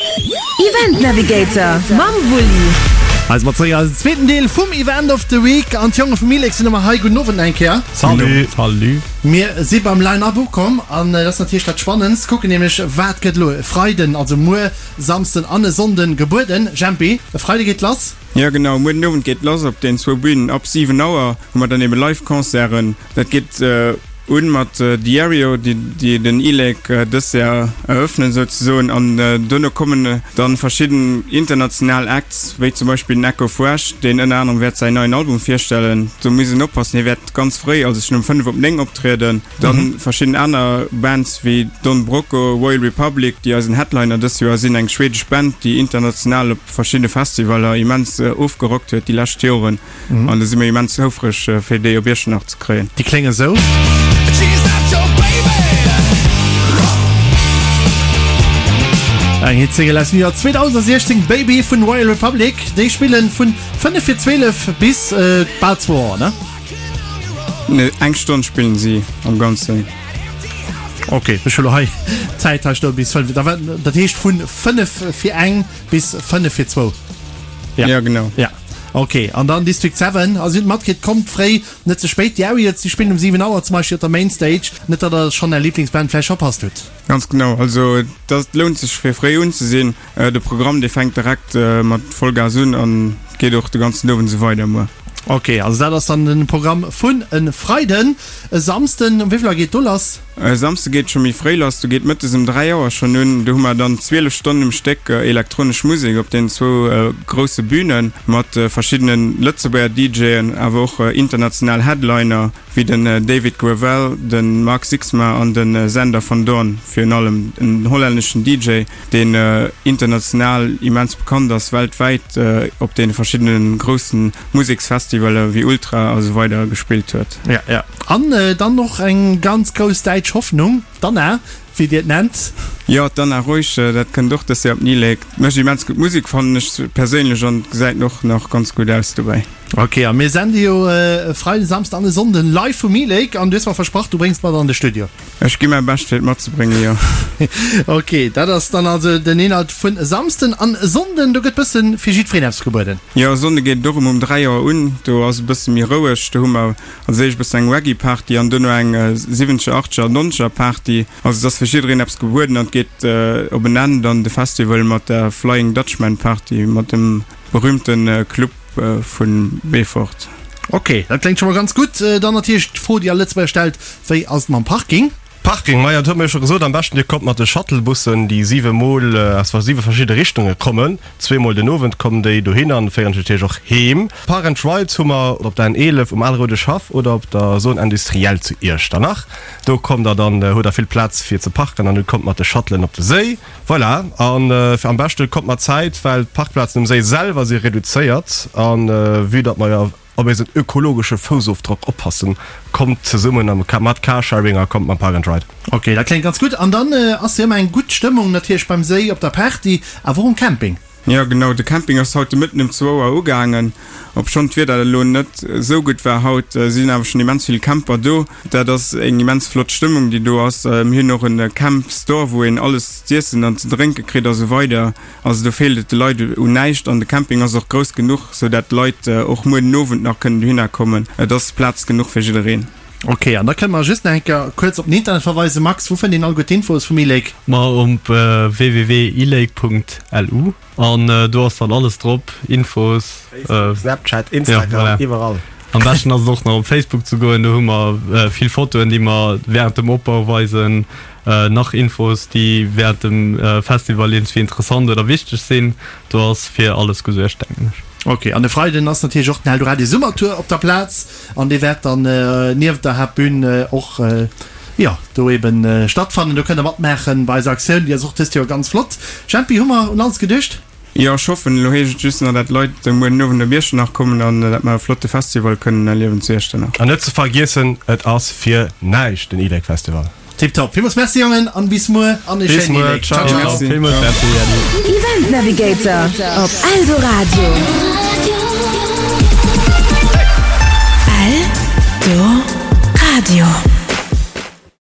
Event Navigator mam Wulli. Hei si mer zeréck eisen zweeten Deel vum Event of the Week an d'Jonge vum Milex sinn ëmmer hei. Gudden Owend nach eng Kéier. Salut. Salut. Mir si beim Line-Up ukomm an dat ass natierlech dat Spannendst. Kucken nämlech wat gëtt elo e Freiden, also muer Samsden an e Sonnden gebueden. Jempi, e Freide geet lass. Jo genau, muer den Owend geet lass op den zwou Bünen. Ab 7 Auer hu mer dann ebe Live Concerten. Dat geet un mat Diario, déi den e-Lake dëst Jar eröffnen souzesoen. An duerno kommen dann verschidden international Acts, wéi zum Beispill den Echo Fresh, deen ënner anerem wäert säin neien Album virstellen. Do muss een oppassen, hie wäert ganz fréi, also schonn um 5 op 9 optrieden. Dann verschidden aner Bands wéi Don Broco, Royal Republic, déi eisen Headliner dëst Joer sinn, eng schwedesch Band, déi international op verschiddene Festivaller immens ofgerockt huet déi lescht Joren. An do si mir immens houfreg fir déi op Iechternach ze kréien. Déi klénge sou. Eng Hitsingle aus dem Joer 2016, Baby vun Royal Republic. Déi spillen vun 5 fir 12 bis bal zwou Auer, ne? Nee, eng Stonn spillen si am Ganzen. Ok, ech hu lo hei d'Zäit hei stoen bis 5, da war, dat heescht vun 5 fir eng bis 5 fir zwou. Ja, ja genau. Ja. Ok, an dann District 7, also dir hutt matkritt, kommt fréi, net ze spéit. Déi Aerials, déi spillen um 7 Auer zum Beispill op der Main Stage, net datt der schonn är Liblingsband vläicht verpasst hutt. Ganz genau, also dat lount sech fir fréi unzesinn. De Programm dee fänkt direkt mat Vollgas un an geet och de ganzen Owend esou weider muer. Ok, also dat ass dann den Programm vun e Freiden. E Samsden, um wéivill Auer geet do lass? E Samsde geet scho méi fréi lass, do geet mëttes um 3 Auer schonn un. Do hu mer dann 12 Stonnen um Stéck elektronesch Musek op den zwou grousse Bünen mat verschiddene Lëtzebuerger DJen, awer och international Headliner. wéi den David Gravell, de Mark Sixma an de Sander van Doorn, virun allem en hollänneschen DJ, deen international immens bekannt ass, weltwäit op deene verschiddene grousse Museksfestivaler wéi Ultra a sou weider gespillt huet. Ja, ja. An dann och eng ganz grouss däitsch Hoffnung, d'Anna, wéi Dir et nennt. Jo, d'Anna Reusch, dat kënnt och dës Joer op d'Ni-Lake. Mécht immens gutt Musek, fannen ech perséinlech, an gesäit och nach ganz gutt aus dobäi. Ok, a mir sende jo e Freiden, Samsden an e Sonnden live vum E-Lake an du hues mer versprach, du bréngs mat an de Studio. Ech gi mäi Bescht fir et matzebréngen, jo. Ok, dat ass dann also den Inhalt vun e Samsden an e Sonnden. Do gëtt bëssen fir jiddwereen eppes gebueden. Jo, e Sonnde geet et och erëm um 3 Auer un. Do ass e bësse méi roueg. Do hu mer als éischt bëssen eng Reggae-Party an duerno eng siwwenzeger, achteger, nonzeger Party. Also et ass fir jiddereen eppes gebueden an et geet op en Enn dann de Festival mat der Flying Dutchman Party mat dem berühmte Club vu Beefort. Ok, dat kléngt scho mol ganz gutt. Dann natierlech d'Fro, déi all Lëtzebuerger stellt, Wéi ass et mam Parking? Parking, majo, dat huet mer jo scho gesot, am beschten dir kommt mat de Shuttlebussen, déi siwe mol aus siwe verschidde Richtunge kommen. Zweemol den Owend kommen déi dohin an féieren dech natierlech och heem. Park and Rides hu mer op der N11 um Alroudeschhaff oder op der Zone Industrielle zu Iechternach. Do kommt der dann, hutt der vill Plaz fir ze parken an kommt mat de Shuttlen op de Séi. Voilà, an am beschte kommt mat Zäit, well d'Parkplazen um Séi selwer si reduzéiert. A vue datt mer jo op eisen ökologesche Foussofdrock oppassen, kommt zesummen mat Carsharing a kommt mam Park and Ride. Ok, dat kléngt ganz gutt. An dann ass jo ëmmer eng gutt Stëmmung natierlech beim Séi, op der Party, awer och um Camping. Jo genau, de Camping ass haut de Mëtten um zwou Auer ugaangen. Obschonn d'Wieder elo net esou gutt war haut, sinn awer schonn immens vill Camper do. Dat ass eng immens flott Stëmmung déi do ass. Mir hunn och en Camp Store wou een alles z'iessen an ze drénke kritt a sou weider. Also do feelt et de Leit un näischt an de Camping ass och grouss genuch, sou dat d'Leit och muer den Owend nach kënnen dohinner kommen. Et ass Plaz genuch fir jiddereen. Ok, an da kënne mer just nach eng Kéier kuerz op den Internet verweisen. Max, wou fënnt een all gutt d'Infos vum e-Lake? Ma op www.elake.lu an do ass dann alles drop, Infos. Facebook, Snapchat, Instagram, iwwerall. Am beschten ass et och nach op Facebook ze goen, do hu mer vill Fotoen, déi mer wärend dem Opbau weisen, nach Infos, déi wärend dem Festival iergendswéi interessant oder wichteg sinn. Do ass fir alles gesuergt, denken ech. Ok, an e Freiden ass natierlech och den Eldoradio Summertour op der Plaz. An dee wäert dann nieft der Haaptbün och, jo, do eben stattfannen. Do kënnt der matmaachen bei eiser Aktioun. Déi ass och dëst Joer ganz flott. Jempi, hu mer un alles geduecht? Jo, ech hoffen. Elo heescht et just nach, dat d'Leit muer den Owend op Iechternach kommen an dat mer e flotte Festival kënnen erliewen zu Iechternach. An net ze vergiessen, et ass fir näischt, den e-Lake Festival. Tiptop. Villmools Merci Jongen an bis muer an e Bis schéinen muer, E-Lake. Ciao ciao. ciao. Merci. Villmools Merci, Äddi. Event Navigator op Eldoradio. Eldoradio.